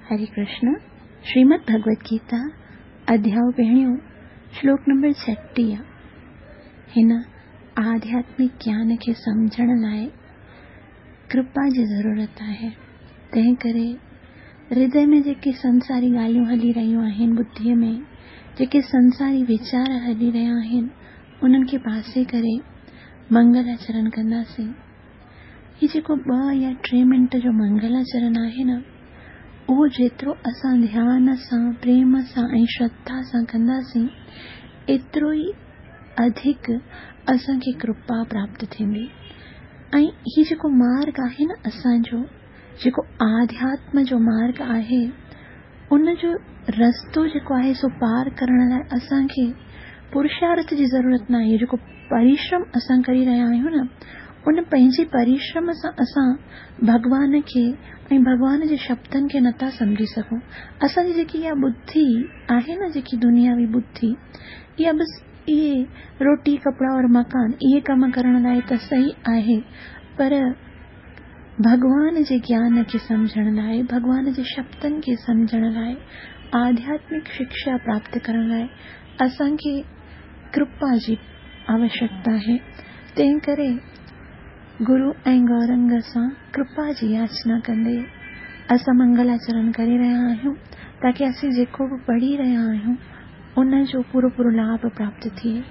हरे कृष्ण। श्रीमद् भगवत गीता अध्याय पहिरियों श्लोक नंबर 36। हिन आध्यात्मिक ज्ञान खे सम्झण लाइ कृपा जी ज़रूरत आहे। तंहिं करे हृदय में जेके संसारी ॻाल्हियूं हली रहियूं आहिनि, बुद्धीअ में जेके संसारी वीचार हली रहिया आहिनि, उन्हनि खे पासे करे मंगलाचरण कंदासीं। हीउ जेको 2 या 3 मिंट जो मंगलाचरण आहे न, उहो जेतिरो असां ध्यान सां, प्रेम सां ऐं श्रद्धा सां कंदासीं, एतिरो ई अधिक असांखे कृपा प्राप्त थींदी। ऐं हीउ जेको मार्ग आहे न असांजो, जेको आध्यात्म जो मार्ग आहे, उनजो रस्तो जेको आहे सो पार करण लाइ असांखे पुरुषार्थ जी ज़रूरत न आहे। जेको परिश्रम असां करी रहिया आहियूं न, उन पंहिंजे परिश्रम सां असां भॻवान खे ऐं भॻवान जे शब्दनि खे नथा सम्झी सघूं। असांजी जेकी इहा बुद्धि आहे न, जेकी दुनियावी बुद्धि, इहा बसि इहे रोटी कपिड़ा और मकान इहे कम करण लाइ त सही आहे, पर भॻवान जे ज्ञान खे सम्झण लाइ, भॻवान जे शब्दनि खे सम्झण लाइ, आध्यात्मिक शिक्षा प्राप्त करण लाइ असांखे कृपा जी आवश्यकता आहे। तंहिं करे गुरु ऐं गौरंग सां कृपा जी याचना कंदे असां मंगलाचरण करे रहिया आहियूं, ताकी असीं जेको बि पढ़ी रहिया आहियूं उन जो पूरो पूरो लाभ प्राप्त थिए।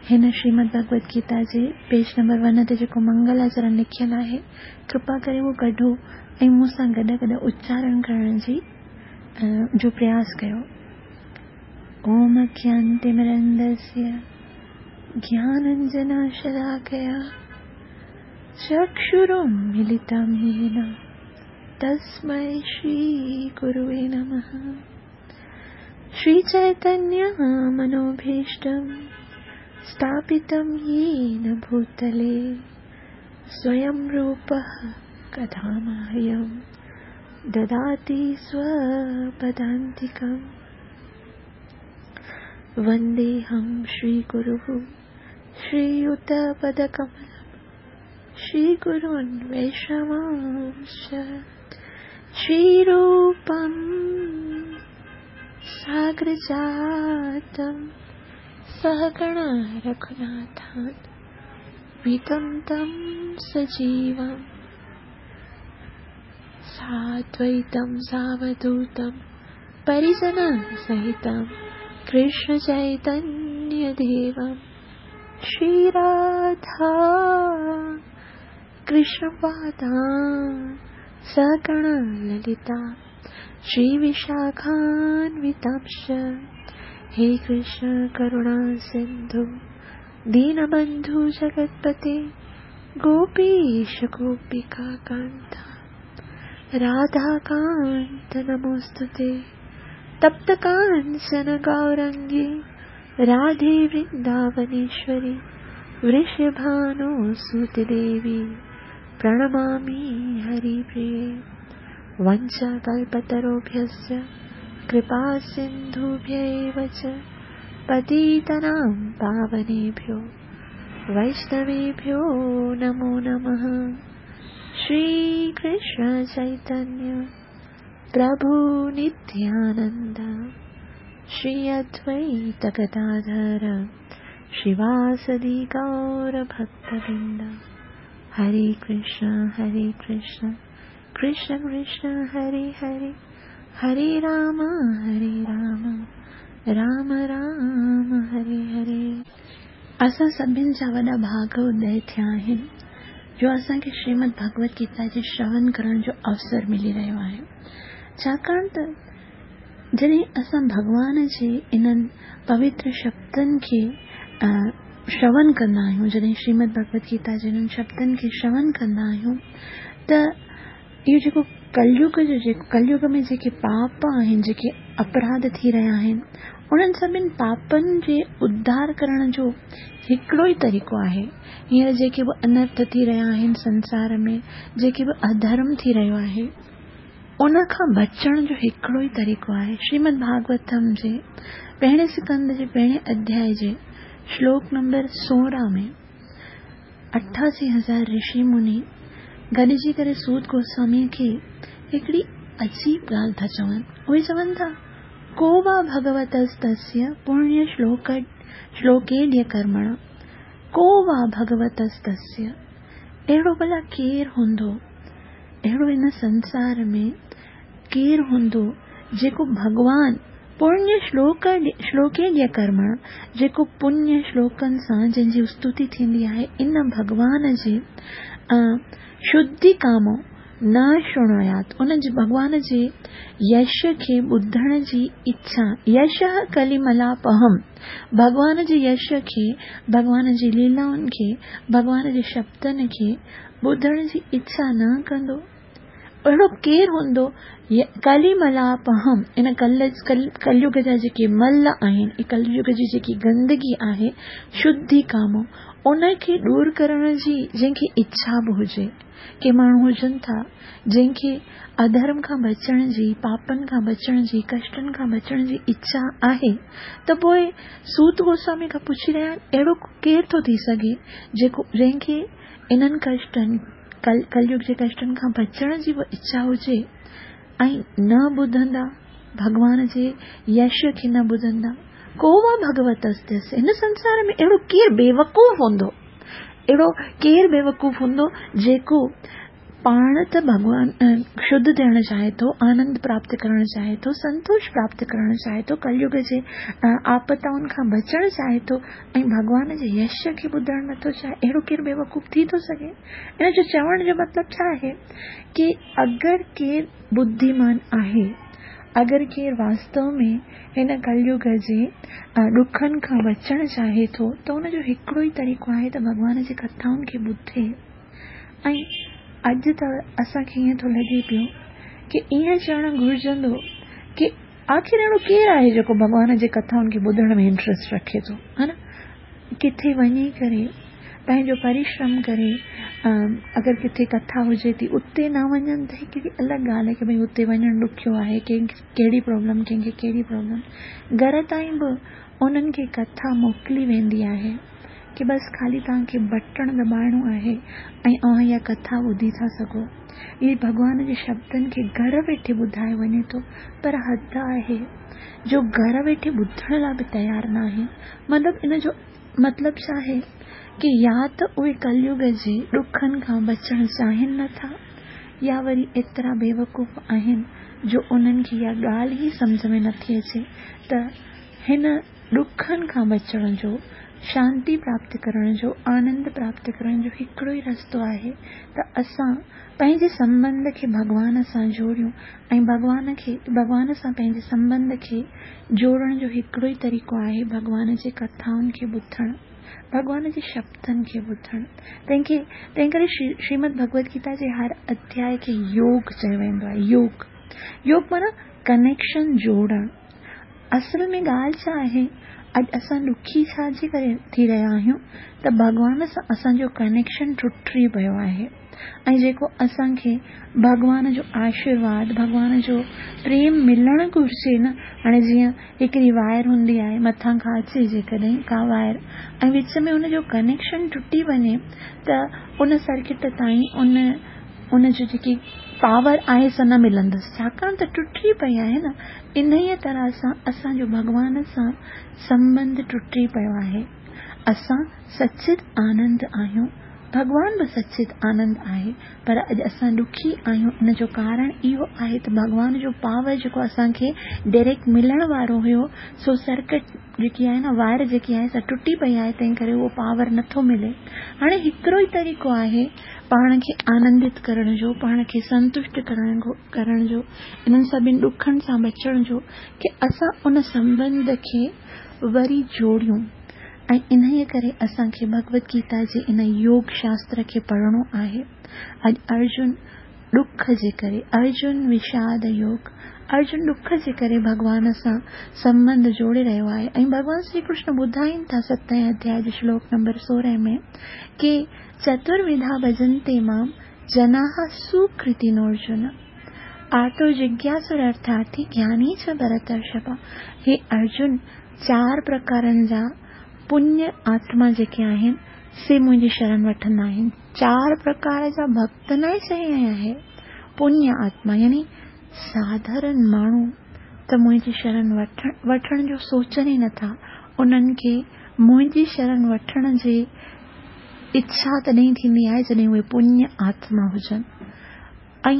हिन श्रीमद् भगवत गीता जे पेज नंबर 1 ते जेको मंगलाचरण लिखियल आहे, कृपा करे उहो कढो ऐं मूंसां गॾु गॾु उच्चारण करण जी जो प्रयास कयो। ओम अज्ञानतिमिरन्धस्य ज्ञानाञ्जनशलाकया चक्षुरुन्मीलितं येन तस्मै श्रीगुरुवे नमः। श्रीचैतन्य मनोभीष्टं स्थापितं येन भूतले स्वयं रूपः कदा मह्यं ददाति स्वपदान्तिकम्। वन्देऽहं श्रीगुरुः श्रीयुतपदकमलं श्रीगुरून् वैष्णवांश्च श्रीरूपं सागरजातं सहगण रघुनाथान् वितं तं सजीवं साद्वैतं सावधूतं परिजनसहितं कृष्णचैतन्यदेवं श्रीराधा कृष्णपादां सगण ललिता श्रीविशाखान्वितांश्च। हे कृष्ण करुणा सिन्धु दीनबन्धु जगत्पते गोपीश गोपिका कान्त राधाकान्त नमोऽस्तुते। तप्त काञ्चन गौरङ्गी राधे वृन्दावनेश्वरी वृषभानुसुते देवी प्रणमामि हरिप्रिये। वञ्चाकल्पतरुभ्यश्च कृपा सिन्धुभ्य एव च पतितानां पावनेभ्यो वैष्णवेभ्यो नमो नमः। श्रीकृष्ण चैतन्य प्रभु नित्यानन्द श्री अद्वैत गदाधर श्रीवासदि गौरभक्तवृन्द। हरे कृष्ण कृष्ण कृष्ण हरे हरे, हरे राम राम राम हरे हरे। असां सभिनि जा वॾा भाग उदय थिया आहिनि जो असांखे श्रीमद् भगवत गीता जे श्रवण करण जो अवसर मिली रहियो आहे। छाकाणि त जॾहिं असां भॻवान जे इन्हनि पवित्र शब्दनि खे श्रवण कंदा आहियूं, जॾहिं श्रीमद् भगवत गीता जे इन्हनि शब्दनि खे श्रवण कंदा आहियूं, त इहो जेको कलयुग जो जेको कलयुग में जेके पाप आहिनि, जेके अपराध थी रहिया आहिनि, उन्हनि सभिनि पापनि जे उद्धार करण जो हिकिड़ो ई तरीक़ो आहे। हींअर जेके बि अनर्थ थी रहिया आहिनि संसार में, जेके बि अधर्म थी रहियो आहे, उन खां बचण जो हिकिड़ो ई तरीक़ो आहे। श्रीमद् भागवतम जे पहिरें स्कंद जे पहिरें अध्याय जे श्लोक नंबर 16 में 88,000 ऋषि मुनि गॾिजी करे सूत गोस्वामीअ खे हिकिड़ी عجيب ڳالهه ٿا چون. اهي چون ٿا، ڪو وا ڀڳوتستسيه پڻيه شلوڪ شلوڪيڊيه ڪرمڻ، ڪو وا ڀڳوتستسيه، اهڙو ڀلا ڪير هوندو، اهڙو هن سنسار ۾ ڪير هوندو جيڪو ڀڳوان پڻيه شلوڪ شلوڪيڊيه ڪرمڻ، جيڪو پڻيه شلوڪن سان جنهن جي استتي ٿيندي آهي، ان ڀڳوان جي شڌي ڪامو نه شڻويات، ان جي ڀڳوان جي يش کي ٻڌڻ جي اڇا، يشه ڪليملاپهم، ڀڳوان جي يش کي، ڀڳوان جي ليلائن کي، ڀڳوان جي شبدن کي ٻڌڻ جي اڇا نه ڪندو. اهڙو ڪير هوندو؟ ڪليملاپهم، ان ڪليگ جا جيڪي مل آهن، ڪليگ جي جيڪي گندگي آهي، شڌي ڪامو، ان کي ڏور ڪرڻ جي جنهن کي اڇا به هجي. ڪي ماڻهو هجن ٿا، جنهن کي اڌرم کان بچڻ جي، پاپن کان بچڻ جي، ڪشٽن کان بچڻ جي اڇا آهي ته پوء سوت گوسوامي کان پڇي رهيا آهن، اهڙو ڪير ٿو ٿي سگهي جيڪو جنهن کي انهن ڪشٽن، ڪليگ جي ڪشٽن کان بچڻ جي به اڇا هجي ۽ نه ٻڌندا، ڀڳوان جي يش کي نه ٻڌندا. ڪو وا ڀڳوتستيس، هن سنسار ۾ اهڙو ڪير بيوقوف هوندو؟ اهڙو ڪير بيوقوف هوندو جيڪو پاڻ ته ڀڳوان شڌ ٿيڻ چاهي ٿو، آنند پراپت ڪرڻ چاهي ٿو، سنتوش پراپت ڪرڻ چاهي ٿو، ڪليگ جي آپتائن کان بچڻ چاهي ٿو ۽ ڀڳوان جي يش کي ٻڌڻ نٿو چاهي، اهڙو ڪير بيوقوف ٿي ٿو سگهي؟ ان جو چوڻ جو مطلب ڇا آهي ڪي اگر ڪير ٻڌيمان آهي، اگر ڪير واستو ۾ هن ڪليگ جي ڏکن کان بچڻ چاهي ٿو ته ان جو هڪڙو ئي طريقو آهي ته ڀڳوان جي ڪٿائن کي ٻڌي. ۽ اڄ ته اسان کي ائين ٿو لڳي پيو ڪي ائين چوڻ گهرجندو ڪي آخر اهڙو ڪير آهي جيڪو ڀڳوان جي ڪٿائن کي ٻڌڻ ۾ انٽرسٽ رکي ٿو ها نه ڪٿي وڃي ڪري پنهنجو پرشرم ڪري اگر ڪٿي ڪٿا هجي ٿي اتي نه وڃن ته هڪڙي الڳ ڳالهه آهي ڪي ڀئي اتي وڃڻ ڏکيو آهي ڪنهن کي ڪهڙي پرابلم ڪنهن کي ڪهڙي پرابلم گهر تائين به انهن کي ڪٿا موڪلي ويندي آهي ڪي بس خالي توهان کي بٽڻ دٻائڻو آهي ۽ اوهان اها ڪٿا ٻڌي ٿا سگهو. اهي ڀڳوان جي شبدن کي گهر ويٺي ٻڌايو وڃي ٿو پر حد آهي جو گهر ويٺي ٻڌڻ لاء به تيار ناهن. مطلب ان جو مطلب ڇا آهي ڪي يا ته اهي ڪليگ جي ڏکن کان بچڻ چاهين نه ٿا يا وري ايترا بيوقوف آهن جو انهن کي اها ڳالهه ئي سمجهه ۾ نٿي اچي ته هن ڏکن کان بچڻ جو، شانتي پراپت ڪرڻ جو، آنند پراپت ڪرڻ جو هڪڙو ئي رستو آهي ته اسان پنهنجي سنٻنڌ کي ڀڳوان سان جوڙيون ۽ ڀڳوان کي ڀڳوان سان پنهنجي سنٻنڌ کي جوڙڻ جو هڪڙو ئي طريقو آهي ڀڳوان جي ڪٿائن کي ٻڌڻ، ڀڳوان جي شبدن کي ٻڌڻ. تنهن کي تنهن ڪري شريمد ڀڳوت گيتا جي هر اڌياء کي يوگ چيو ويندو آهي. يوگ يوگ معنيٰ ڪنيڪشن جوڙڻ. اصل ۾ ڳالهه ڇا آهي، اڄ اسان ڏکي ڇا جي ڪري ٿي رهيا آهيون ته ڀڳوان سان اسان جو ڪنيڪشن ٽٽي پيو آهي ۽ جيڪو اسان کي ڀڳوان جو آشيرواد، ڀڳوان جو پريم ملڻ گهرجي نه، هاڻي جيئن هڪڙي وائر هوندي آهي مٿان کان اچي جيڪڏهن ڪا وائر ۽ وچ ۾ ان جو ڪنيڪشن ٽٽي وڃي ته ان سرڪٽ تائين ان ان جو جيڪي پاور آهي سا نه ملندس ڇاڪاڻ ته ٽٽي پئي آهي نه انهيء طرح سان اسان جو ڀڳوان سان سنٻنڌ ٽٽي پيو آهي. اسان سچت آنند آهيون، ڀڳوان به سچت آنند آهي، پر اڄ اسان ڏکي آهيون ان جو ڪارڻ اهو آهي ته ڀڳوان جو پاور جيڪو اسان کي ڊئريڪٽ ملڻ وارو هيو سو سرڪٽ جيڪي آهي نه وائر جيڪي آهي سا ٽٽي پئي آهي تنهن ڪري اهو پاور نٿو ملي. هاڻي هڪڙو ئي طريقو آهي پاڻ کي آنندت ڪرڻ جو، پاڻ کي سنتشٽ ڪرڻ جو، انهن سڀني ڏکن سان بچڻ جو ڪي اسان ان سنٻنڌ کي وري جوڙيون ۽ انهيء ڪري اسان کي ڀڳوت گيتا جي ان يوگ شاستر کي پڙهڻو آهي. اڄ ارجن ڏک جي ڪري، ارجن وشاد يوگ، ارجن ڏک جي ڪري ڀڳوان سان سنٻنڌ جوڙي رهيو آهي ۽ ڀڳوان شري ڪرشن ٻڌائين ٿا ستين اڌياء جي شلوڪ نمبر 16 ۾ ڪي چتروڌا ڀجنتي مام جناح سوڪرتينورجن، آرتو جگياسرارٿارٿي گياني چ ڀرترشڀ. هي ارجن! چار پرڪارن جا پڃ آتما جيڪي آهن، سي منهنجي شرن وٺندا آهن. چار پرڪار جا ڀڳت ناهي چئي آهي. پڃ آتما يعني ساڌارڻ ماڻهو ته منهنجي شرڻ وٺڻ جو سوچن ئي نٿا. انهن کي منهنجي شرڻ وٺڻ جي اڇا تڏهن ٿيندي آهي جڏهن اهي پڃ آتما هجن. ۽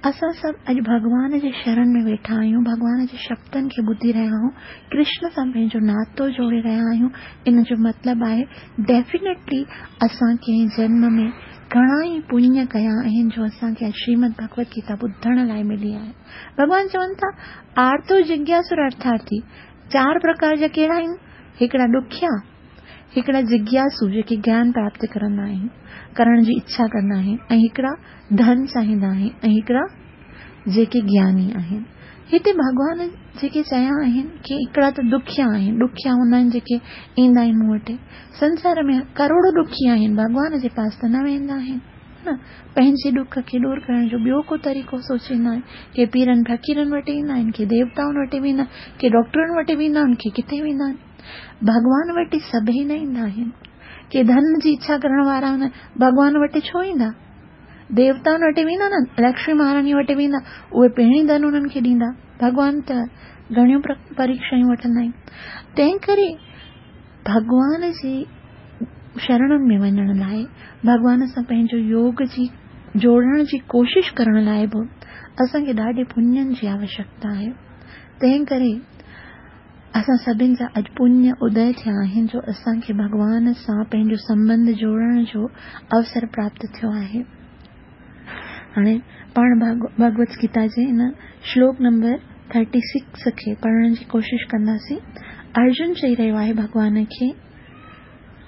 اسان سڀ اڄ ڀڳوان جي شرڻ ۾ ويٺا آهيون، ڀڳوان جي شبدن کي ٻڌي رهيا آهيون، ڪرشن سان پنهنجو ناتو جوڙي رهيا آهيون. ان جو مطلب آهي ڊيفينيٽلي اسان ڪنهن جنم ۾ گهڻا ئي پڃ ڪيا آهن جو اسان کي اڄ شريمد ڀڳوت گيتا ٻڌڻ لاء ملي آهي. ڀڳوان چون ٿا آرتو جگياسر ارٿارٿي، چار پرڪار جا ڪهڙا آهن؟ هڪڙا ڏکيا، هڪڙا جگياسو جيڪي گيان پراپت ڪرندا آهن، ڪرڻ جي اڇا ڪندا آهن ۽ هڪڙا ڌن چاهيندا آهن ۽ هڪڙا جيڪي گياني آهن. هتي ڀڳوان جيڪي چيا آهن ڪي هڪڙا ته ڏکيا آهن، ڏکيا هوندا آهن جيڪي ايندا آهن مون وٽ. سنسار ۾ ڪروڙو ڏکي آهن، ڀڳوان جي پاس ته نه ويندا آهن نه. پنهنجي ڏک کي ڏور ڪرڻ جو ٻيو ڪو طريقو سوچيندا آهن. ڪي پيرن فقيرن وٽ ايندا آهن، ڪي ديوتائن وٽ ويندا آهن، ڪي ڊاڪٽرن وٽ ويندا آهن، ڪي ڪٿي ويندا آهن. ڀڳوان وٽ سڀئي نه ايندا آهن. ڪي ڌن جي اڇا ڪرڻ وارا هوندا آهن، ڀڳوان وٽ ڇو ايندا؟ ديوتائن وٽ ويندا نه، لڪشمي مهاراڻي وٽ ويندا، اهي پهرين ڌن انهن کي ڏيندا. ڀڳوان ته گهڻيون پريکشائون وٺندا آهن. تنهن ڪري ڀڳوان جي شرڻن ۾ وڃڻ لاء، ڀڳوان سان پنهنجو يوگ جي جوڙڻ جي ڪوشش ڪرڻ لاء به اسان کي ڏاڍي پڃن جي آوشيڪتا آهي. تنهن ڪري اسان سڀن جا اڄ پڃ ادي ٿيا آهن جو اسان کي ڀڳوان سان پنهنجو سنٻنڌ جوڙڻ جو اوسر پراپت ٿيو آهي. هاڻي پاڻ ڀڳوت گيتا جي ان شلوڪ نمبر 36 کي پڙهڻ جي ڪوشش ڪنداسين. ارجن چئي رهيو آهي ڀڳوان کي،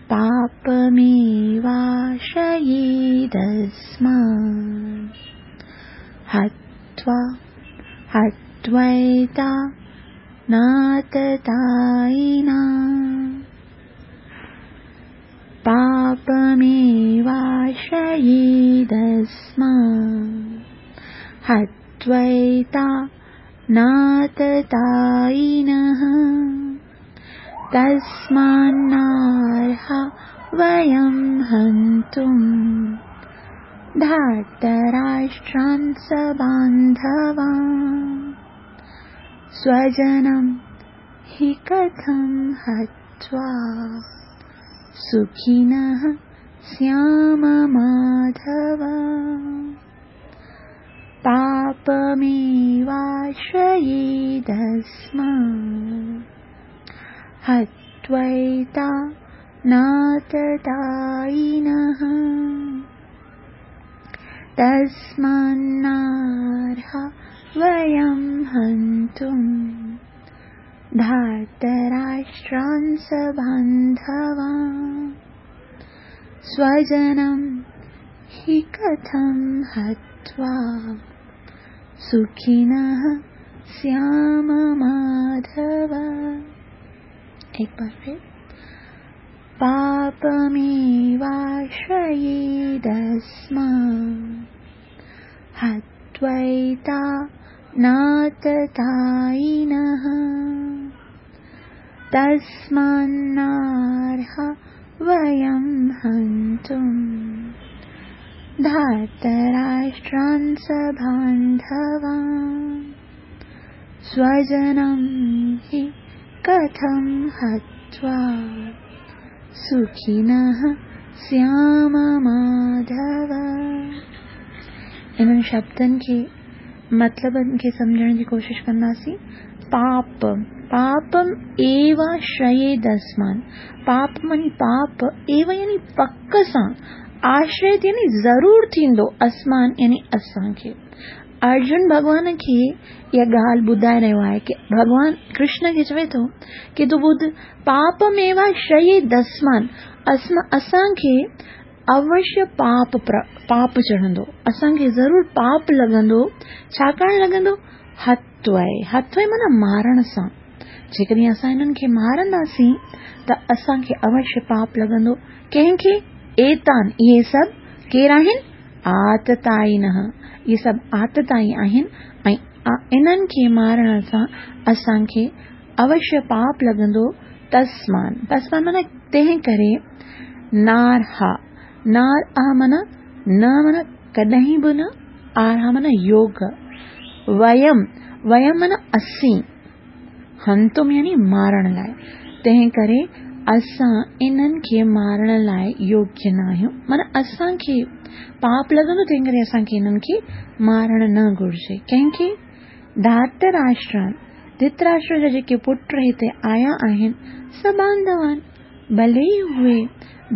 پاپميواشريدسمان هتوا هتويتا ناتتائنا پاپميواشريدسمان هتويتا ناتتائنه تسمانارها ويم هنتم ڌارتراشٽران سبانڌوان سوجنم هي ڪٿم هتوا سکينه سيام ماڌو پاپميواشريدسمان هتويتا ناتتائنه تسمانارها ويم هنتم ڌارتراشٽران سبانڌوان سوجنم هي ڪٿم هتوا سکينه سيام ماڌو. एक बार फिर पापमेवाश्रयेदस्मान् हत्वैता नाततायिनः तस्मान्नार्हा वयं हन्तुं धार्तराष्ट्रान् सबान्धवान् स्वजनं हि कथं हत्वा सुखिनः स्याम माधव। इन्हनि शब्दनि खे मतिलबनि खे सम्झण जी कोशिशि कंदासीं। पाप, पापम एव आश्रयेदस्मान्, पाप मानी पाप, एव यानी पक सां, आश्रय यानी ज़रूर थींदो, अस्मान यानी असांखे। अर्जुन भॻवान खे इहा ॻाल्हि ॿुधाए रहियो आहे की भॻवान कृष्ण खे चवे थो की तूं ॿुध, पापमेव आश्रयेदस्मान्, असांखे अवश्य पाप चढ़ंदो, असांखे ज़रूर पाप लॻंदो। छाकाणि लॻंदो? हत्वय, हत्वय माना मारण सां। जेकॾहिं असां हिननि खे मारंदासीं त असांखे अवश्य पाप लॻंदो। कंहिंखे? एतान, इहे सभु केरु आहिनि? आतताइनः, इहे सभु आतताई आहिनि ऐं इन्हनि खे मारण सां असांखे अवश्य पाप लॻंदो। तस्मान, तस्मान माना तंहिं करे, नारहा, नार आ माना न माना कॾहिं बि न, आरहा माना योग, ويم، ويم معنيٰ اسين، هنتم يعني مارڻ لاء، تنهن ڪري اسان انهن کي مارڻ لاء يوگيه نه آهيون، معنيٰ اسان کي پاپ لڳندو، تنهن ڪري اسان کي انهن کي مارڻ نه گهرجي. ڪنهن کي؟ ڌارتراشٽران، ڌرتراشٽر جا جيڪي پٽ هتي آيا آهن، سڀانڌوان، ڀلي ئي اهي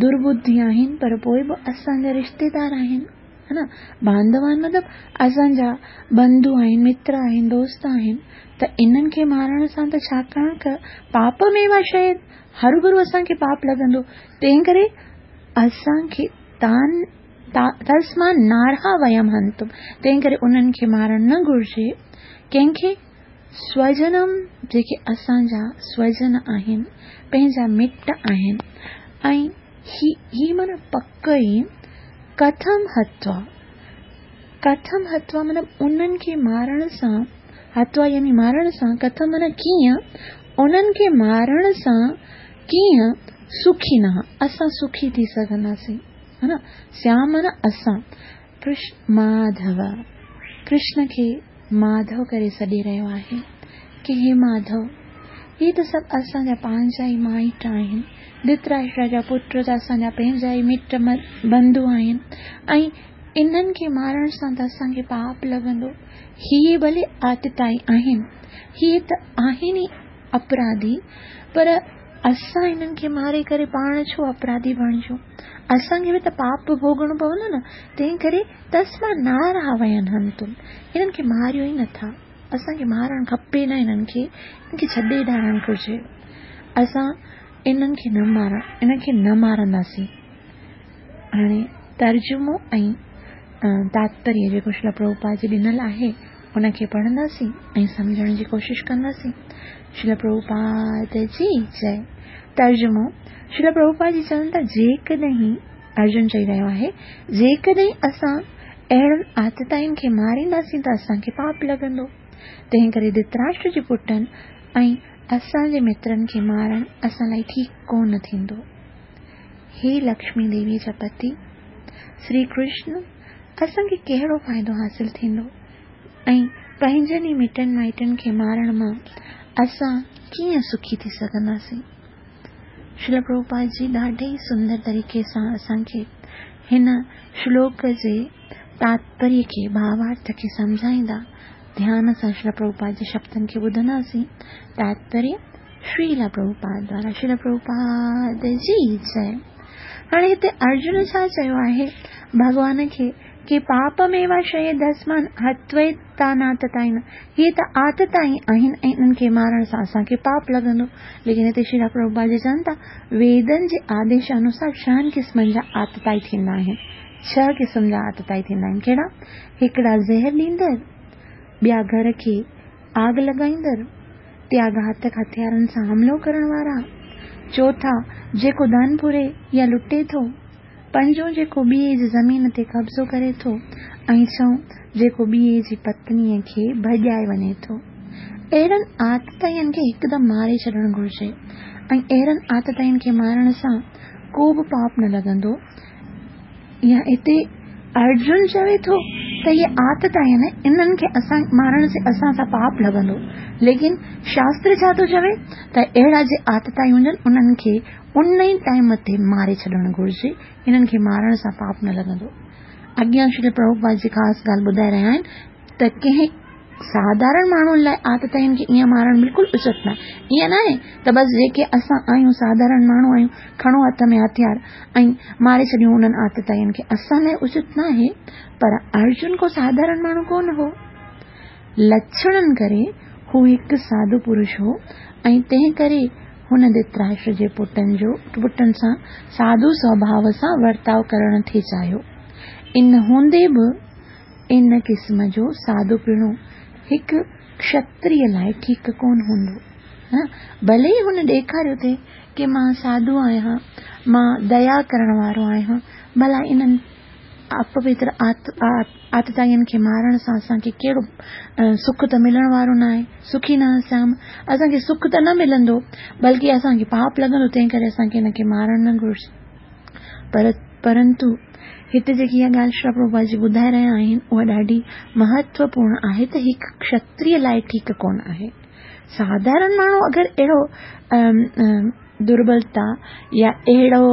درٻڌي آهن، پر پوء به اسان جا رشتيدار آهن. ها نه بانڌوان مطلب اسان جا بنڌو آهن، متر آهن، دوست آهن ته انهن کي مارڻ سان ته ڇاڪاڻ ته پاپ ۾ شيء هروڀرو اسان کي پاپ لڳندو، تنهن ڪري اسان کي تان تسمان نارها ويم هنتم، تنهن ڪري انهن کي مارڻ نه گهرجي. ڪنهن کي؟ سوجنم، جيڪي اسان جا سوجن آهن، پنهنجا مٽ آهن. ۽ هي هي معنيٰ پڪ ئي، ڪٿم هتوا، ڪٿم هتوا مطلب انهن کي مارڻ سان، هتوا يعني مارڻ سان، ڪٿم معنيٰ ڪيئن، انهن کي مارڻ سان ڪيئن سکي نه اسان سکي ٿي سگهنداسين، ها نه؟ سيام معنيٰ اسان، ڪرشن ماڌو، ڪرشن کي ماڌو ڪري سڏي رهيو آهي ڪي هي ماڌو، هي ته سڀ اسان جا پنهنجا ئي مائٽ آهن، ڌرتراشٽر جا پٽ ته اسان جا پنهنجا ئي مٽ بنڌو آهن ۽ انهن کي مارڻ سان ته اسان کي پاپ لڳندو. هي ڀلي آتتائي آهن، هي ته آهن ئي اپراڌي، پر اسان انهن کي ماري ڪري پاڻ ڇو اپراڌي بڻجون؟ اسان کي به ته پاپ ڀوڳڻو پوندو نه، تنهن ڪري تسما نارها وين هنتم، انهن کي ماريو ئي نٿا، اسان کي مارڻ کپي نه، انهن کي انهن کي ڇڏي ڏارڻ گهرجي، اسان انهن کي نه مارڻ انهن کي نه مارنداسين. هاڻي ترجمو ۽ تاتپريه جيڪو شريلا پرڀوپاد جي ڏنل آهي ان کي پڙهنداسين ۽ سمجهڻ جي ڪوشش ڪنداسين. شريلا پرڀوپاد جي جئي. ترجمو، شريلا پرڀوپاد جي چون ٿا جيڪڏهن، ارجن چئي رهيو آهي، جيڪڏهن اسان اهڙن آتتائين کي مارينداسين ته اسان کي پاپ لڳندو. تنهن ڪري ڌرتراشٽر جي پٽن ۽ اسان جي مترن کي مارڻ اسان لاء ٺيڪ ڪو نه ٿيندو. هي لڪشمي ديويء جا پتي، شري ڪرشن، اسان کي ڪهڙو فائدو حاصل ٿيندو ۽ پنهنجن ئي مٽن مائٽن کي مارڻ مان اسان ڪيئن سکي ٿي سگهنداسين؟ شريلا پرڀوپاد جي ڏاڍي ئي سندر طريقي سان اسان کي هن شلوڪ جي تاتپريه کي، ڀاوارٿ کي سمجهائيندا. ڌيان سان شريلا پرڀوپاد جي شبدن کي ٻڌنداسين. تاتپريه شريلا پرڀوپاد دوارا. شريلا پرڀوپاد جي جئي. هاڻي هتي ارجن ڇا چيو آهي ڀڳوان کي ڪي پاپ ميوا شيء دسمان هتويتاناتتائين، هي ته آتتائي آهن ۽ انهن کي مارڻ سان اسان کي پاپ لڳندو. ليڪن هتي شريلا پرڀوپاد جي چون ٿا ويدن جي آديش انوسار ڇهن قسمن جا آتتائي ٿيندا آهن. ڇهه قسم جا آتتائي ٿيندا آهن. ڪهڙا؟ هڪڙا زهر ڏيندڙ، ٻيا گهر کي آگ لڳائيندڙ، ٽيا گهاتڪ هٿيارن سان حملو ڪرڻ وارا، چوٿا جيڪو ڌن ڦري يا لٽي ٿو، پنجون جيڪو ٻئي جي زمين تي قبضو ڪري ٿو ۽ ڇهون جيڪو ٻئي جي پتنيء کي ڀڄائي وڃي ٿو. اهڙن آتتائين کي هڪدم ماري ڇڏڻ گهرجي ۽ اهڙن آتتائين کي مارڻ سان ڪو به پاپ نه لڳندو. يا هتي ارجن چوي ٿو ته اهي آتتائين انهن کي اسان مارڻ سي اسان سان پاپ لڳندو، ليڪن شاستر ڇا ٿو چوي ته اهڙا جي آتتائي هجن انهن کي ان ئي ٽائيم تي ماري ڇڏڻ گهرجي، انهن کي مارڻ سان پاپ نه لڳندو. اڳيان شري پرڀوپاد جي خاص ڳالهه ٻڌائي رهيا آهن ته ڪنهن ساڌارڻ ماڻهن لاء آتتائين کي ائين مارڻ بلڪل اچت ناهي. ائين ناهي ته بس جيڪي اسان آهيون ساڌارڻ ماڻهو آهيون کڻو هٿ ۾ هٿيار ۽ ماري ڇڏيون انهن آتتائين کي، اسان لاء اچت ناهي. پر ارجن ڪو ساڌارڻ ماڻهو ڪونه هو. لڇڻن ڪري هو هڪ ساڌو پرش هو ۽ تنهن ڪري هن ڌرتراشٽر جي پٽن جو پٽن سان ساڌو سوڀاو سان ورتاء ڪرڻ ٿي چاهيو. ان هوندي به ان قسم جو سادو پڻو هڪ کشتريء لاء ٺيڪ ڪونه هوندو. ڀلي ئي هن ڏيکاريو ٿي ڪي مان ساڌو آهيان، مان ديا ڪرڻ وارو آهيان، ڀلا انهن اپوتر آتتائين کي مارڻ سان اسان کي ڪهڙو سک ته ملڻ وارو ناهي، سکي نه سيام، اسان کي سک ته نه ملندو، بلڪه اسان کي پاپ لڳندو، تنهن ڪري اسان کي هن کي مارڻ نه گهرجي. پر پرنتو هتي جيڪي اها ڳالهه شريلا پرڀوپاد جي ٻڌائي رهيا آهن اها ڏاڍي مهتوپورڻ آهي ته هڪ ڪشتريه لاء ٺيڪ ڪونه آهي. ساڌارڻ ماڻهو اگر اهڙو دربلتا يا اهڙو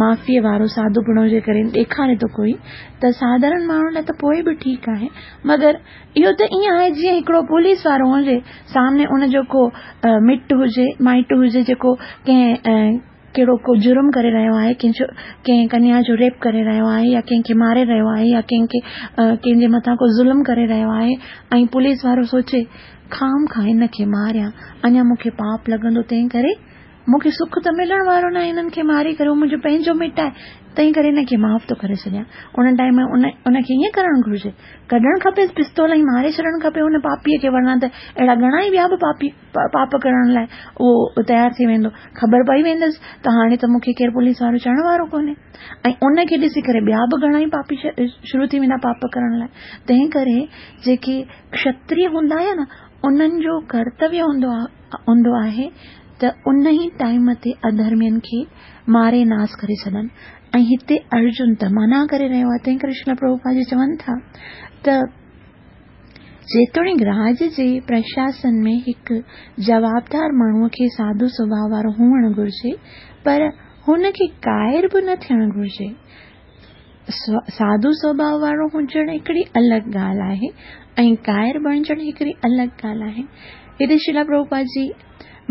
معافيء وارو ساڌوپڻو جي ڪري ڏيکاري ٿو ڪوئي ته ساڌارڻ ماڻهو لاء ته پوء به ٺيڪ آهي مگر اهو ته ائين آهي جيئن هڪڙو پوليس وارو هجي سامني ان جو ڪو مٽ هجي مائٽ هجي جيڪو ڪنهن ڪهڙو ڪو جرم ڪري رهيو آهي ڪنهن جو ڪنهن ڪنيا جو ريپ ڪري رهيو آهي يا ڪنهن کي ماري رهيو آهي يا ڪنهن کي ڪنهن جي مٿان ڪو ظلم ڪري رهيو آهي ۽ پوليس وارو سوچي خام خواهه هن کي ماريان اڃا مون کي پاپ لڳندو تنهن ڪري مون کي سک ته ملڻ وارو ناهي هنن کي ماري ڪري هو منهنجو پنهنجو مٽ آهي تنهن ڪري هن کي معاف ٿو ڪري ڇڏيان ان ٽائيم ان ان کي ائين ڪرڻ گهرجي ڪڍڻ کپيس پستول ۽ ماري ڇڏڻ کپي ان پاپيء کي ورنه ته اهڙا گهڻا ئي ٻيا به پاپي پاپ ڪرڻ لاء اهو تيار ٿي ويندو خبر پئي ويندس ته هاڻي ته مون کي ڪير پوليس وارو چوڻ وارو ڪونهي ۽ ان کي ڏسي ڪري ٻيا به گهڻا ئي پاپي شروع ٿي ويندا پاپ ڪرڻ لاء تنهن ڪري جيڪي کشتري هوندا آهن نه انهن جو ڪرتويه هوندو آهي هوندو آهي ته ان ئي ٽائيم تي اڌرمين کي ماري ناس ڪري ڇڏن ۽ هتي ارجن ته منع ڪري رهيو آهي تنهن ڪري شريلا پرڀوپاد جي چون ٿا ته جيتوڻيڪ راڄ جي پرشاسن ۾ هڪ جوابدار ماڻهوء کي سادو سڀاء وارو هئڻ گهرجي پر هن کي ڪائر به نه ٿيڻ گهرجي. سادو سڀاء وارو هجڻ هڪڙي الڳ ڳالهه آهي ۽ ڪائر بڻجڻ هڪڙي الڳ ڳالهه آهي. هتي شريلا پرڀوپاد جي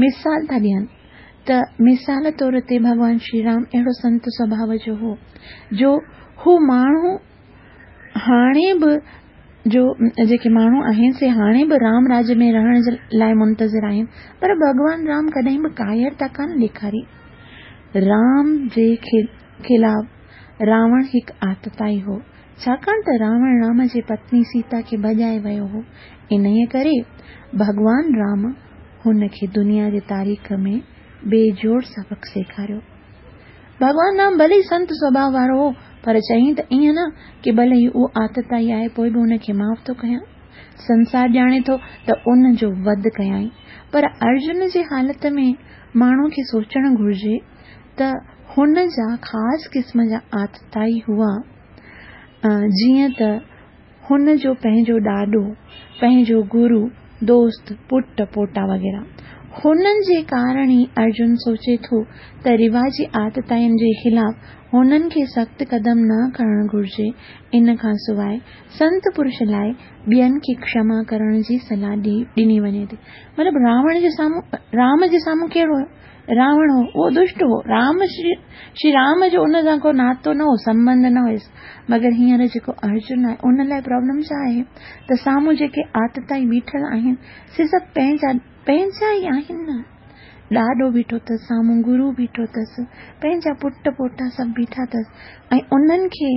مثال ٿا ڏين ته مثال طور تي ڀڳوان شري رام اهڙو سنت سڀاء جو هو جو هو ماڻهو هاڻي به جو جيڪي ماڻهو آهن سي هاڻي به رام راڄ ۾ رهڻ جي لاء منتظر آهن پر ڀڳوان رام ڪڏهن به ڪائرتا ڪانه ڏيکاري. رام جي خلاف راوڻ هڪ آتتائي هو، ڇاڪاڻ ته راوڻ رام جي پتني سيتا کي ڀڄائي ويو هو، انهيء ڪري ڀڳوان رام هن کي دنيا جي تاريخ ۾ بي جوڙ سبق سيکاريو. ڀڳوان رام ڀلي ئي سنت سڀاء وارو هو، پر چيائين ته ائين نه ڪي ڀلي ئي اهو آتتائي آهي پوء به هن کي معاف ٿو ڪيان. سنسار ڄاڻي ٿو ته ان جو وڌ ڪيائين. پر ارجن جي حالت ۾ ماڻهو کي سوچڻ گهرجي ته هن جا خاص قسم جا آتتائي هئا، جيئن ته هن جو پنهنجو ڏاڏو، پنهنجو گرو، دوست، پٽ، پوٽا وغيره. هنن جي ڪارڻ ئي ارجن سوچي ٿو ته رواجي آتتائين جي خلاف هنن کي سخت قدم نه کڻڻ گهرجي. ان کان سواء سنت پرش لاء ٻين کي کشما ڪرڻ جي صلاح ڏني وڃي ٿي. مطلب راوڻ جي سامهون رام جي سامهون ڪهڙو هيو؟ راوڻ هو، اهو دشٽ هو. رام شري رام جو ان سان ڪو ناتو نه هو، سنٻنڌ نه هيس. مگر هينئر جيڪو ارجن آهي، ان لاء پرابلم ڇا آهي ته سامهون جيڪي آتتائي بيٺل آهن، سي سڀ پنهنجا پنهنجا ئي آهن نه. ڏاڏو بيٺو اٿس، سامهون گرو بيٺو اٿس، پنهنجا پٽ پوٽا سڀ بيٺا اٿس ۽ انهن کي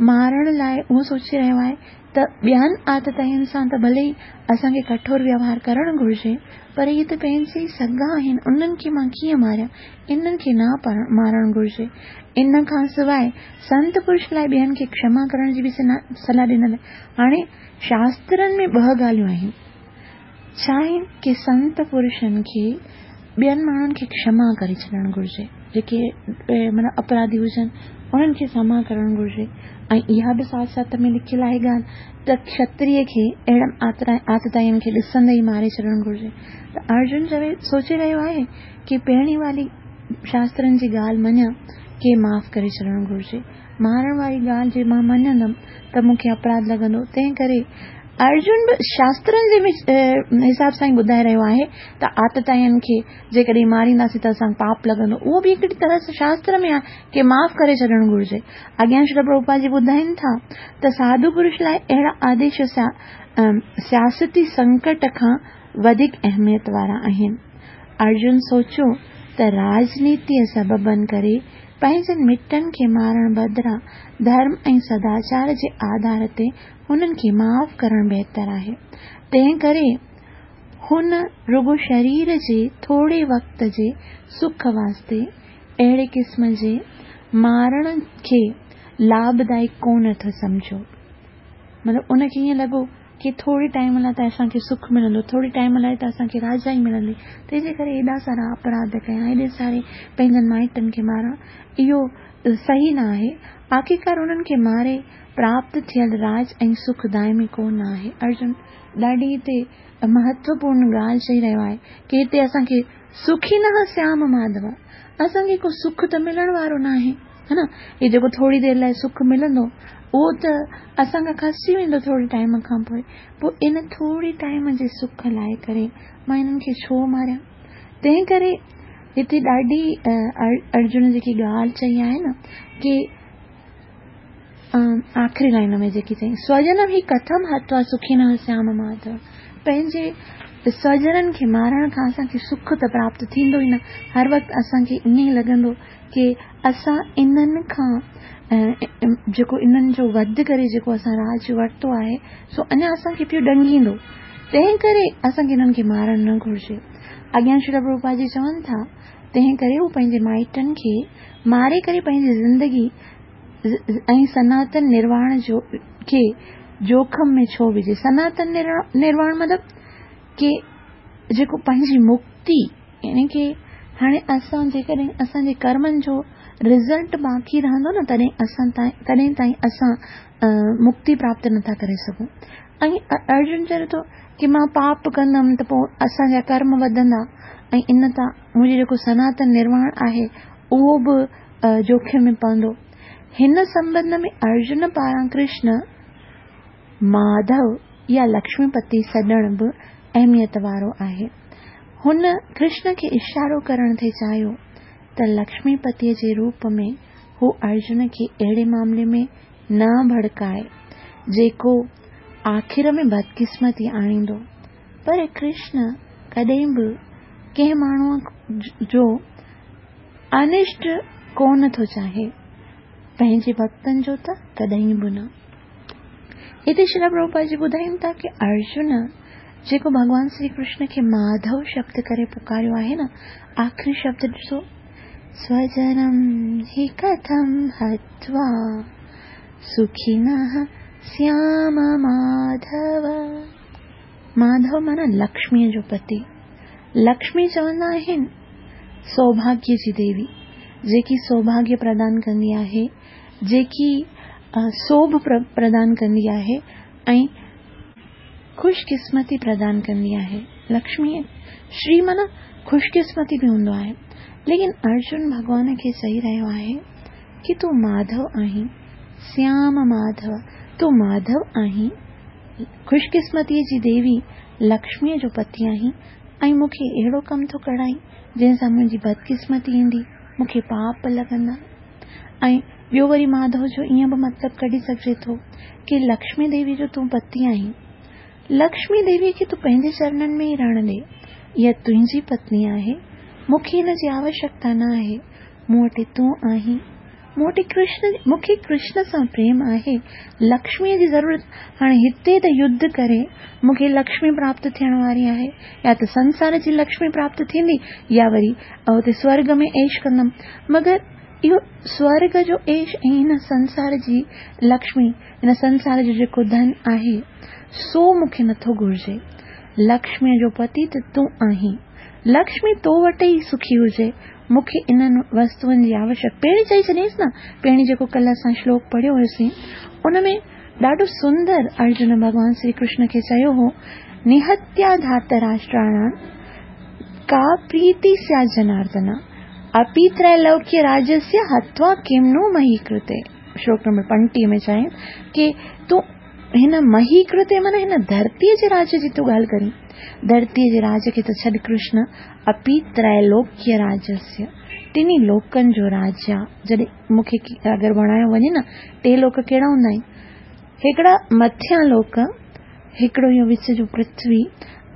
مارڻ لاء اهو سوچي رهيو آهي ته ٻين آتتائين سان ته ڀلي ئي اسان کي ڪٺور ويوهار ڪرڻ گهرجي پر اهي ته پنهنجي ئي سڳا آهن انهن کي مان ڪيئن ماريان انهن کي نه مارڻ گهرجي. ان کان سواء سنت پرش لاء ٻين کي کشما ڪرڻ جي به صلاح ڏنل آهي. هاڻي شاسترن ۾ ٻه ڳالهيون آهن. ڇا آهن ڪي سنت پرشن کي ٻين ماڻهن کي کشما ڪري ڇڏڻ گهرجي جيڪي معنيٰ اپراڌي هجن انهن کي کشما ڪرڻ گهرجي ۽ اها به ساٿ ساٿ ۾ لکيل آهي ڳالهه ته کشتري کي اهڙن آتتائين کي ڏسندي ئي ماري ڇڏڻ گهرجي ته ارجن چوي سوچي رهيو آهي ڪي پهرين واري شاسترن جي ڳالهه مڃان ڪي معاف ڪري ڇڏڻ گهرجي مارڻ واري ڳالهه جي مان مڃندم ته مون کي اپراڌ لڳندو، تنهن ڪري ارجن به شاسترن جي حساب سان ئي ٻڌائي رهيو آهي ته آتتائين کي جيڪڏهن مارينداسين ته اسان کي پاپ لڳندو. اهو به هڪڙي طرح سان شاستر ۾ آهي ڪي معاف ڪري ڇڏڻ گهرجي. اڳيان شريل پرڀوپاد جي ٻڌائين ٿا ته ساڌو پرش لاء اهڙا آديش سياستي سنڪٽ کان وڌيڪ اهميت وارا آهن. ارجن سوچيو ته راڄنيتيء سببن ڪري پنهنجن مٽن کي مارڻ بدران ڌرم ۽ سداچار جي آڌار تي هنن کي معاف ڪرڻ بهتر آهي. تنهن ڪري هن رڳو شرير جي ٿوري وقت جي سک واسطي اهڙي قسم جي مارڻ کي لاڀدائڪ ڪونه ٿو سمجهيو. مطلب ان کي ائين لڳو ڪي ٿوري ٽائيم لاء ته اسان کي سک ملندو، ٿوري ٽائيم لاء ته اسان کي راجائي ملندي، تنهن جي ڪري ايڏا سارا اپراڌ ڪيان، ايڏي ساري پنهنجن مائٽن کي ماران، اهو صحيح نه آهي. آخرڪار انهن کي ماري پراپت ٿيل راڄ ۽ سک دائمي ڪو نه آهي. ارجن ڏاڍي هتي مهتوپورن ڳالهه چئي رهيو آهي ڪي هتي اسان کي سکينه سيام ماڌو، اسان کي ڪو سک ته ملڻ وارو ناهي، ها نه؟ هي جيڪو ٿوري دير لاء سک ملندو اهو ته اسان کان کسجي ويندو ٿوري ٽائيم کان پوء، پوء ان ٿوري ٽائيم جي سک لاء ڪري مان انهن کي ڇو ماريان؟ تنهن ڪري هتي ڏاڍي ارجن جيڪي ڳالهه چئي آهي نه ڪي آخري لائن ۾ جيڪي چئي سوجنم هي ڪٿم هتوا سکينه سيام ماڌو، پنهنجي سوجنن کي مارڻ کان اسان کي سک ته پراپت ٿيندو ئي نه، هر وقت اسان کي ائين ئي لڳندو ڪي اسان انهن کان جيڪو انهن جو وڌ ڪري جيڪو اسان راڄ ورتو آهي سو اڃا اسان کي پيو ڏنگيندو، تنهن ڪري اسان کي انهن کي مارڻ نه گهرجي. اڳيان شريل پرڀوپاد جي چون ٿا تنهن ڪري هو پنهنجي مائٽن کي ماري ڪري پنهنجي زندگي ۽ سناتن نرواڻ جو کي جوکم ۾ ڇو وجهي؟ سناتن نرواڻ مطلب ڪي جيڪو پنهنجي مڪتي يعني ڪي هاڻي اسان جيڪڏهن اسان جي ڪرمن جو رزلٽ باقي رهندو نه تڏهن اسان تائين تڏهن تائين اسان مڪتي پراپت نٿا ڪري سگهون ۽ ارجن چوي ٿو ڪي مان پاپ ڪندم ته پوء اسان جا ڪرم وڌندا ۽ ان تان منهنجو جيڪو سناتن نرواڻ آهي اهو به جوکم ۾ پوندو. هن سنٻنڌ ۾ ارجن پاران ڪرشن، ماڌو يا لڪشمي پتي سڏڻ به اهميت وارو آهي. هن ڪرشن کي اشارو ڪرڻ ٿي چاهيو ته لڪشمي پتيء جي روپ ۾ هو ارجن کي اهڙي معاملي ۾ نه ڀڙڪائي، جيڪو آخر ۾ بدقسمتي آڻيندو. پر ڪرشن ڪڏهن به ڪنهن ماڻهوء جو انشٽ ڪونه ٿو چاهي، پنهنجي ڀڳتن جو ته ڪڏهن به نه. هتي شريل پرڀوپاد جي ٻڌائين ٿا ڪي ارجن جيڪو ڀڳوان شري ڪرشن کي ماڌو شبد ڪري پڪاريو آهي نه، آخري شبد ڏسو، سوجنم هي ڪٿم هتوا سکينه سيام ماڌو. ماڌو معنيٰ لڪشميء جو پتي. لڪشمي چوندا آهن سوڀاگيه جي ديوي، جيڪي سوڀاگيه پردان ڪندي آهي، جيڪي سوڀ پردان ڪندي آهي ۽ خوش قسمتي پردان ڪندي آهي. لڪشمي شري معنيٰ خوش قسمتي به هوندو آهي. ليڪن ارجن ڀڳوان کي چئي رهيو آهي ڪي تون ماڌو آهين، سيام ماڌو، تون ماڌو آهين، خوش قسمتيء جي ديوي لڪشميء جو پتي آهين ۽ مون کي اهڙو ڪم ٿو ڪرائين، جنهن سان منهنجي بدقسمتي ايندي، مون کي پاپ لڳندا. ۽ ٻيو وري ماڌو جو ائين به مطلب ڪڍي سگهجي ٿو ڪي لڪشمي ديوي جو تون پتي آهين. لڪشمي ديويء کي تون پنهنجي چرنن ۾ ئي رهڻ ڏي. اها تنهنجي پتني آهي. مون کي هن جي آوشڪتا نه آهي. مون وٽ تون آهين. مون وٽ ڪرشن، مون کي ڪرشن سان پريم آهي، لڪشميء جي ضرورت، هاڻي هتي ته يڌ ڪري مون کي لڪشمي پراپت ٿيڻ واري آهي، يا ته سنسار جي لڪشمي پراپت ٿيندي يا وري اتي سورڳ ۾ عيش ڪندم، مگر اهو سورڳ جو عيش ۽ هن سنسار جي لڪشمي، هن سنسار جو جيڪو ڌن آهي، سو مون کي نٿو گهرجي. لڪشميء جو پتي ته تون آهين. لڪشمي تو وٽ ئي سکي هجي، مون کي انهن وستوئن جي آوشڪ. پهرين چئي ڇڏيائينس نه، پهرين جيڪو ڪلهه اسان شلوڪ پڙهيو هيوسين، ان ۾ ڏاڍو سندر ارجن ڀڳوان شري ڪرشن کي چيو هو، نهتيا ڌارتراشٽراڻان ڪا پريتي سيات جناردن، اپي تريلوڪيه راجسيه هتوا ڪم نو مهي ڪرتي. شلوڪ نمبر 35 ۾ چيائين ڪي تون هن مهي ڪرتي معنيٰ هن ڌرتيء جي راڄ جي ٿو ڳالهه ڪرين، ڌرتيء جي راڄ کي ته ڇڏ ڪرشن، اپي تريلوڪيه راجسيه، ٽنهي لوڪن جو راجا، جڏهن مون کي اگر بڻايو وڃي نه، ٽي لوڪ ڪهڙا هوندا آهن؟ هڪڙا مٿيان لوڪ، هڪڙو اهو وچ جو پرٿوي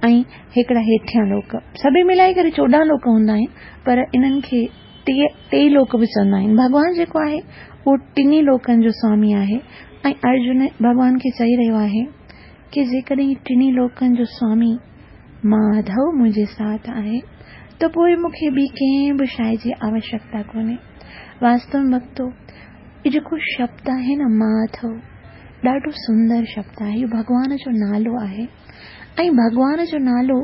۽ هڪڙا هيٺيان لوڪ. سڀئي ملائي ڪري 14 لوڪ هوندا آهن، پر انهن کي ٽي لوڪ به چوندا آهن. ڀڳوان جيڪو آهي، اهو ٽنهي لوڪن جو سوامي آهي ۽ ارجن ڀڳوان کي چئي رهيو آهي ڪي جيڪڏهن ٽنهي لوڪن جو سوامي ماڌو منهنجي ساٿ آهي ته پوء مون کي ٻي ڪنهن به شيء جي آوشڪتا ڪونهي. واستو ۾ ڀڳتو، اهو جيڪو شبد آهي نه ماڌو، ڏاڍو سندر شبد آهي. اهو ڀڳوان جو نالو آهي ۽ ڀڳوان جو نالو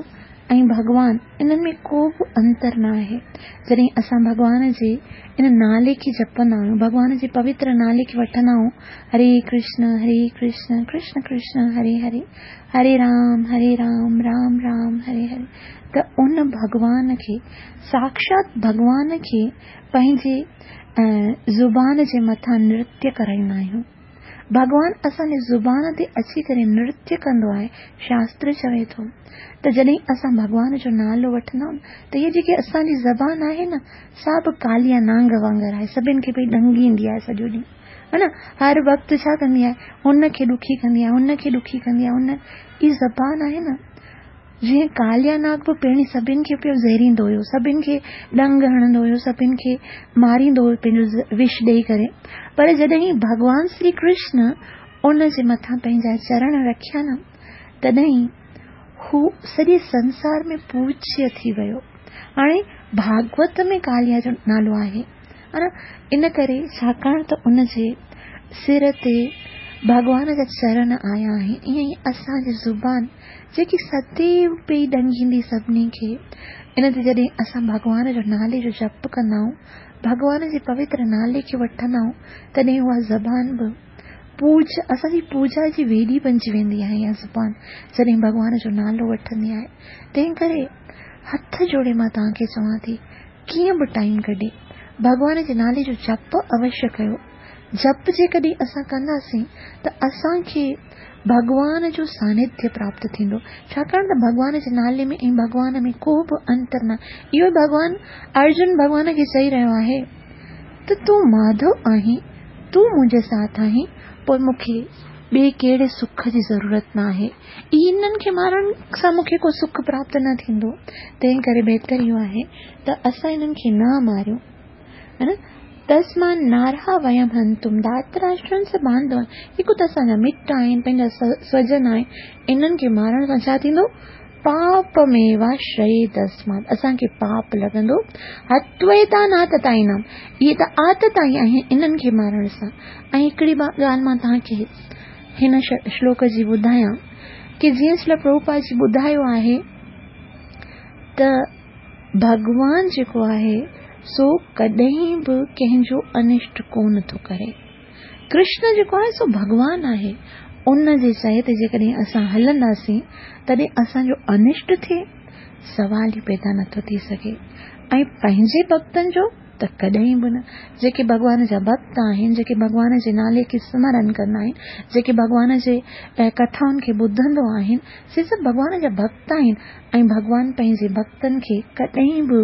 ۽ ڀڳوان انهن ۾ ڪو به انتر نه آهي. جڏهن اسان ڀڳوان جي ان نالي کي جپندا آهيون، ڀڳوان جي پوتر نالي کي وٺندا آهيون، هري ڪرشن هري ڪرشن ڪرشن ڪرشن هري هري، هري رام هري رام رام رام هري هري ته ان ڀڳوان کي ساڪشات ڀڳوان کي پنهنجي زبان جي مٿان نرتيه ڪرائيندا آهيون. ڀڳوان اسان جي زبان تي اچي ڪري نرتيه ڪندو آهي. شاستر چوي ٿو ته جڏهن اسان ڀڳوان جو نالو وٺندا آهيون ته هيء جيڪي اسان جي زبان آهي نه سا به ڪاليا نانگ وانگر آهي، سڀن کي پئي ڏنگيندي آهي سڄو ڏينهن، ها نه، هر وقت ڇا ڪندي آهي، هن کي ڏکي ڪندي آهي، هن کي ڏکي ڪندي آهي، هن هي زبان آهي نه جيئن ڪاليا ناگ به پهرين سڀن کي پيو زهريندو هيو، سڀن کي ڏنگ هڻندو هيو، سڀن کي ماريندو هيو پنهنجو وش ڏيئي ڪري، پر جڏهن ڀڳوان شري ڪرشن ان جي مٿان پنهنجا چرڻ رکيا نه تڏهن هو سڄي سنسار ۾ پوجيه ٿي ويو. هاڻي ڀاڳوت ۾ ڪاليا جو نالو آهي ان ڪري ڇاڪاڻ ته ان جي سر تي ڀڳوان جا چرڻ آيا آهن، ائين ئي اسان جي زبان جيڪي سديو پئي ڏنگيندي سڀني کي، ان تي جڏهن اسان ڀڳوان جو نالي جو جپ ڪندا آهيون، ڀڳوان جي پوتر نالي کي وٺندا آهيون، تڏهن اها زبان به پوج اسان جي پوجا جي ويڏي بنجي ويندي آهي اها زبان جڏهن ڀڳوان جو نالو وٺندي آهي. تنهن ڪري هٿ جوڙي مان توهان کي چوان ٿي، ڪيئن به ٽائيم ڪڍي ڀڳوان جي نالي جو جپ اوشيه ڪيو. جپ جيڪڏهن اسان ڪنداسين ته اسان کي ڀڳوان جو سانڌيه پراپت ٿيندو، ڇاڪاڻ ته ڀڳوان جي نالي ۾ ۽ ڀڳوان ۾ ڪو به انتر نه. اهو ئي ڀڳوان ارجن ڀڳوان کي چئي رهيو آهي ته تون ماڌو آهين، تون منهنجي ساٿ آهين، پوء مون کي ٻئي ڪهڙي سک جي ضرورت نه آهي. انهن کي مارڻ سان مون کي ڪو سک پراپت نه ٿيندو، تنهن ڪري بهتر اهو آهي ته اسان انهن کي نه ماريون. تسمان نارها ويم هنتم ڌارتراشٽرن س بانڌون، هڪ ته اسان جا مٽ آهن، پنهنجا سوجن آهن، انهن کي مارڻ سان ڇا ٿيندو؟ پاپميواشريدسمات، اسان کي پاپ لڳندو. هتويتان آتتائينام، اهي ته آتتائي آهن، انهن کي مارڻ سان. ۽ هڪڙي ڳالهه مان توهان کي هن شلوڪ جي ٻڌايان ڪي جيئن شريل پرڀوپاد جي ٻڌايو آهي ته ڀڳوان جيڪو آهي سو ڪڏهن به ڪنهن جو انشٽ ڪونه ٿو ڪري. ڪرشن جيڪو آهي سو ڀڳوان آهي، ان جي چئي تي جيڪڏهن اسان هلنداسين تڏهن اسان جو انشٽ ٿئي سوال ئي پيدا نٿو ٿي سگهي ۽ پنهنجي ڀڳتن جو ته ڪڏهن به نه. جيڪي ڀڳوان جا ڀڳت آهن، جيڪي ڀڳوان جي نالي کي سمرن ڪندا آهن، جيڪي ڀڳوان جي ڪٿائن کي ٻڌندو آهن، سي سڀ ڀڳوان جا ڀڳت آهن ۽ ڀڳوان پنهنجي ڀڳتن کي ڪڏهن به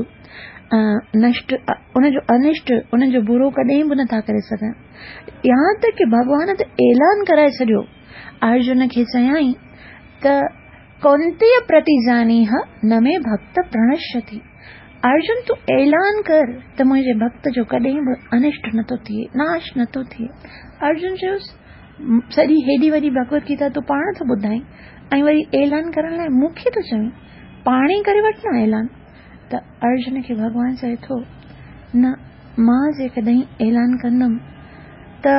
نشٽ، ان جو انشٽ، انهن جو برو ڪڏهن به نٿا ڪري سگهن. يهان تڪ ڪي ڀڳوان ته اعلان ڪرائي ڇڏيو، ارجن کي چيائين ته ڪونتيه پرتيجانيه نه مي ڀڳت پرڻشيتي. ارجن تون اعلان ڪر ته منهنجي ڀڳت جو ڪڏهن به انشٽ نٿو ٿئي، ناش نٿو ٿئي. ارجن چيس، سڄي هيڏي وڏي ڀڳوت گيتا تون پاڻ ٿو ٻڌائين ۽ وري اعلان ڪرڻ لاء مون کي ٿو چوين، پاڻ ئي ڪري وٺ نه اعلان. ته ارجن کي ڀڳوان چئي ٿو، نه مان جيڪڏهن اعلان ڪندم ته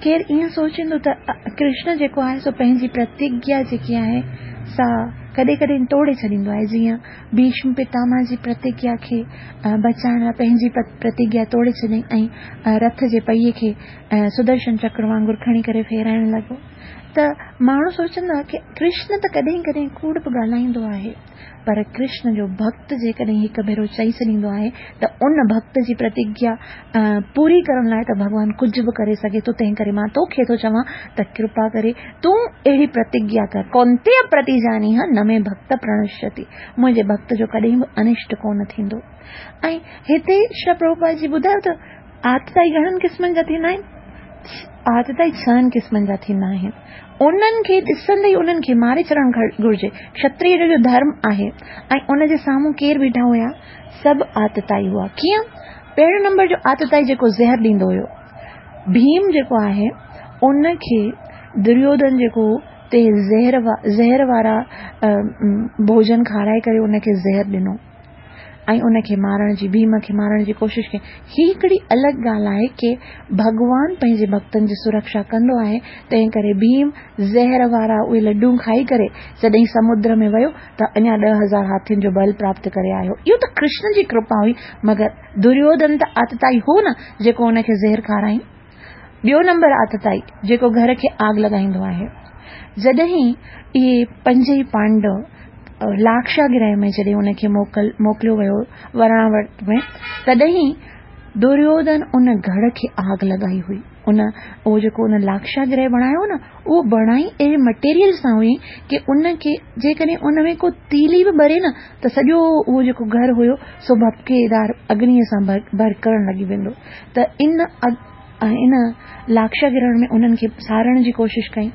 ڪير ائين سوچيندو ته ڪرشن جيڪو آهي سو پنهنجي پرتگيا جيڪي آهي سا ڪڏهن ڪڏهن ٽوڙي ڇڏيندو آهي، جيئن ڀيشم پتامه جي پرتگيا کي بچائڻ لاء پنهنجي پرتگيا ٽوڙي ڇڏيائين ۽ رٿ جي پهيي کي سدرشن چڪر وانگر کڻي ڪري ڦيرائڻ لڳو ته ماڻهو سوچندا ڪي ڪرشن ته ڪڏهن ڪڏهن ڪوڙ به ڳالهائيندو آهي. پر ڪرشن جو ڀڳت جيڪڏهن هڪ ڀيرو چئي ڇڏيندو آهي ته ان ڀڳت جي پرتگيا پوري ڪرڻ لاء ته ڀڳوان ڪجهه به ڪري سگهي ٿو، تنهن ڪري مان توکي ٿو چوان ته ڪرپا ڪري تون اهڙي پرتگيا ڪر، ڪونتيه پرتيجانيه نه مي ڀڳت پرڻشيتي، منهنجي ڀڳت جو ڪڏهن به انشٽ ڪونه ٿيندو. ۽ هتي شريل پرڀوپاد جي ٻڌايو ته آتتائي گهڻن قسمن جا ٿيندا آهن؟ آتتائي ڇهن قسمن جا ٿيندا آهن. انهن کي ڏسندي ئي انهن کي ماري ڇڏڻ گهرجي. کشتريه جو جو ڌرم آهي ۽ ان جي سامهون ڪير بيٺا هيا؟ سڀ آتتائي هئا. ڪيئن؟ پهريون نمبر جو آتتائي جيڪو زهر ڏيندو هيو. ڀيم جيڪو آهي ان کي دريوڌن جيڪو تي زهر زهر وارا ڀوڄن کارائي ڪري ان کي زهر ڏنو. ۽ ان کي مارڻ جي، ڀيم کي مارڻ جي ڪوشش ڪئي. هي هڪڙي الڳ ڳالهه آهي ڪي ڀڳوان پنهنجي ڀڳتن جي سرڪشا ڪندو آهي، تنهن ڪري ڀيم زهر وارا اهي لڏون کائي ڪري جڏهن سمدر ۾ ويو ته اڃا 10,000 هاٿين جو بل پراپت ڪري آيو. اهو ته ڪرشن جي ڪرپا هئي، مگر دريوڌن ته آتتائي هو نه جيڪو ان کي زهر کارائين. ٻيو نمبر آتتائي جيڪو گهر کي آگ لڳائيندو آهي. جڏهن اهي پنجئي پانڊو لاکشا گرهه ۾ جڏهن ان کي موڪل موڪليو ويو ورڻاورت ۾ تڏهن دريوڌن ان گهڙ کي آگ لڳائي هئي. ان اهو جيڪو ان لاکشا گرهه بڻايو نه اهو بڻائي اهڙي مٽيريل سان هئي ڪي ان کي جيڪڏهن ان ۾ ڪو تيلي به ٻري نه ته سڄو اهو جيڪو گهر هيو سو ڀپڪيدار اگنيء سان ڀرڪڻ لڳي ويندو. ته ان ان لاکشا گرهڻ ۾ انهن کي ساڙڻ جي ڪوشش ڪئي.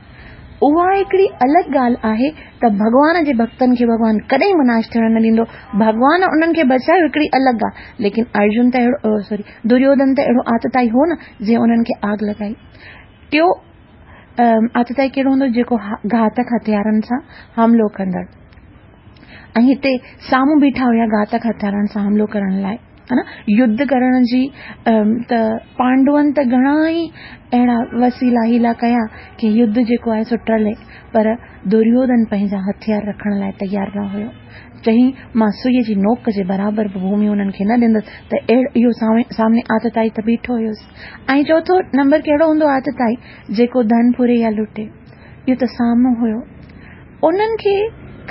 اها هڪڙي الڳ ڳالهه آهي ته ڀڳوان جي ڀڳتن کي ڀڳوان ڪڏهن به ناش ٿيڻ نه ڏيندو. ڀڳوان انهن کي بچايو هڪڙي الڳ ڳالهه ليڪن ارجن ته اهڙو سوري دريوڌن ته اهڙو آتتائي هو نه جنهن انهن کي آگ لڳائي. ٽيو آتتائي ڪهڙو هوندو جيڪو گهاتڪ هٿيارن سان حملو ڪندڙ ۽ هتي سامهون بيٺا هيا گهاتڪ هٿيارن سان حملو ڪرڻ لاء. ها نه يڌ ڪرڻ جي ته پانڊون ته گهڻا ئي اهڙا وسيلا حيلا ڪيا ڪي يڌ جيڪو آهي سو ٽلي پر دريوڌن پنهنجا هٿيار رکڻ لاء تيار نه هيو چيائين مان سئي جي نوڪ جي برابر به ڀومي انهن کي نه ڏيندس ته اهو سامني آتتائي ته بيٺو هيس ۽ چوٿو نمبر ڪهڙو هوندو آتتائي جيڪو ڌن ڦري يا لٽي اهو ته سامهون هيو انهن کي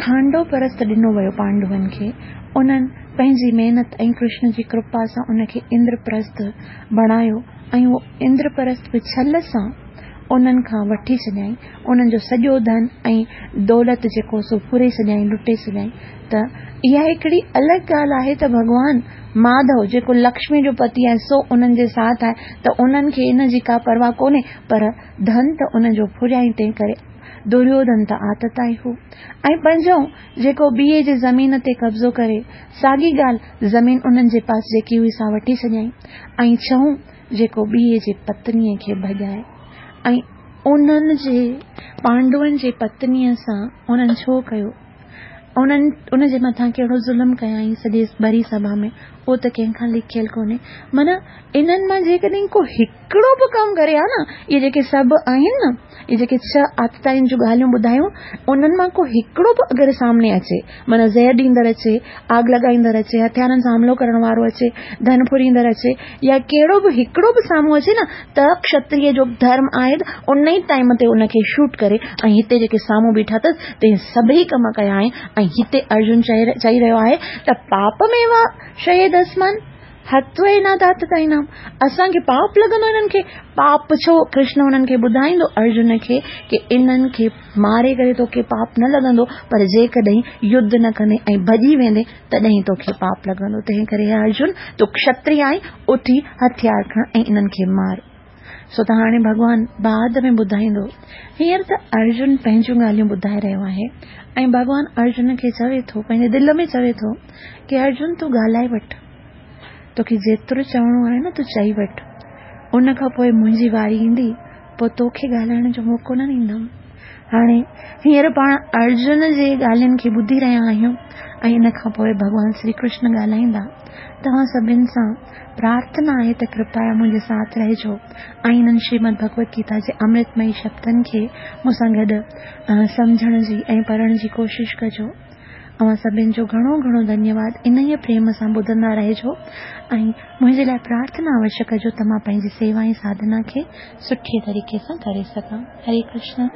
کانڊو پرست ڏنو ويو پانڊون کي انهن پنهنجي محنت ۽ ڪرشن جي ڪرپا سان ان کي اندر پرست بڻايو ۽ اهو اندر پرست به ڇل سان انهن کان وٺي ڇڏيائين انهن جو سڄو ڌن ۽ دولت جيڪو سو ڦري ڇڏيائين لٽي ڇڏيائين ته اها هڪڙي الڳ ڳالهه آهي ته ڀڳوان ماڌو جيڪو لڪشمي جو پتي آهي سو انهن جي ساٿ آهي ته انهن کي ان جي ڪا پرواهه ڪونهي پر ڌن ته ان جو ڦريائين تنهن ڪري دريوڌن ته آتتائي هو ۽ پنجون جيڪو ٻئي جي زمين تي قبضو ڪري، ساڳي ڳالهه زمين انهن جي پاس جيڪي هئي سا وٺي ڇڏيائين ۽ ڇهون جيڪو ٻئي جي پتنيء کي ڀڄائي ۽ انهن جي پانڊون جي پتنيء سان انهن ڇو ڪيو؟ انهن ان جي مٿان ڪهڙو ظلم ڪيائين سڄي ڀري سڀا ۾ اهو ته ڪنهن کان لکيل ڪونهي. معنيٰ انهن مان جيڪڏهن ڪو هڪڙو به ڪم ڪري ها نه، اهي جيڪي سڀ آهن نه، اهي جيڪي ڇهه آتتائين جون ڳالهيون ٻڌايون، انهن مان ڪو هڪڙو به اگر سامني اچي، معنيٰ زهر ڏيندڙ اچي، آگ لڳائيندڙ اچي، هٿيارن سان حملو ڪرڻ وارو اچي، ڌن ڦريندڙ اچي يا ڪهڙو به هڪڙو به سامهون اچي نه ته ڪشتريه جو ڌرم آهي ته ان ئي ٽائيم تي ان کي شوٽ ڪري ۽ هتي جيڪي سامهون بيٺا اٿس تنهن سڀئي ڪم ڪيا آهن ۽ هتي ارجن چئي رهيو آهي ته پاپ ميوا شهيد اسمن هٿ ئي نه دات تائين اسان کي پاپ لڳندو انهن کي پاپ ڇو ڪرشن انهن کي ٻڌائيندو ارجن کي ڪي انهن کي ماري ڪري توکي پاپ نه لڳندو پر جيڪڏهن يڌ نه ڪندين ۽ ڀڄي ويندين تڏهن توکي پاپ لڳندو تنهن ڪري هي ارجن تون کشتري آهين اٿي هٿيار کڻ ۽ انهن کي مار سو ته هاڻي ڀڳوان بعد ۾ ٻڌائيندو هينئر ته ارجن پنهنجون ڳالهيون ٻڌائي رهيو آهي ۽ ڀڳوان ارجن کي چوي ٿو پنهنجي دل ۾ چوي ٿو ڪي ارجن تون ڳالهائي وٺ توکي جيترو چوڻو آهي نه تون چئي وٺ ان کان پوء منهنجي واري ايندي پوء توکي ڳالهائڻ جو موقعو نه ڏيندم. هاڻي هينئر پاڻ ارجن جي ڳالهين کي ٻڌي رهيا آهيون ۽ ان کان پوء ڀڳوان شري ڪرشن ڳالهائيندا. توهان سڀن سان پرارٿنا آهي ته ڪرپايا منهنجي ساٿ رهجو ۽ انهن شريمد ڀڳوت گيتا جي امرتمئي شبدن کي مون سان گڏ سمجهڻ جي ۽ پڙهڻ جي ڪوشش ڪجو. اوهان سڀن جو گهڻو گهڻو ڌنيواد انهيء پريم سان ٻڌندا رهجو ۽ منهنجي لاء پرارٿنا اوشيه ڪجو ته مان پنهنجي سيوا ۽ ساڌنا کي سٺي طريقي سان ڪري سگهان. هري ڪرشن.